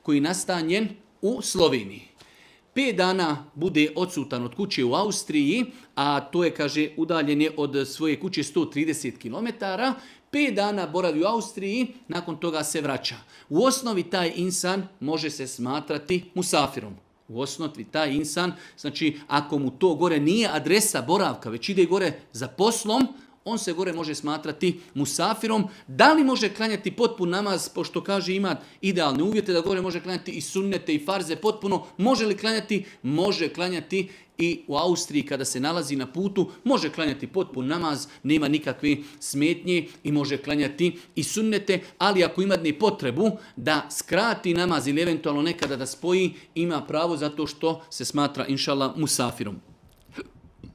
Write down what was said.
koji je nastanjen u Sloveniji. 5 dana bude odsutan od kuće u Austriji, a to je, kaže, udaljen je od svoje kuće 130 km, 5 dana boravi u Austriji, nakon toga se vraća. U osnovi taj insan može se smatrati musafirom. U osnovi taj insan, znači ako mu to gore nije adresa boravka, već ide gore za poslom, on se gore može smatrati musafirom. Da li može klanjati potpun namaz, pošto kaže ima idealne uvjete da gore može klanjati i sunnete i farze potpuno. Može li klanjati? Može klanjati i u Austriji kada se nalazi na putu. Može klanjati potpun namaz, nema nikakve smetnje i može klanjati i sunnete. Ali ako ima potrebu da skrati namaz ili eventualno nekada da spoji, ima pravo zato što se smatra inšallah musafirom.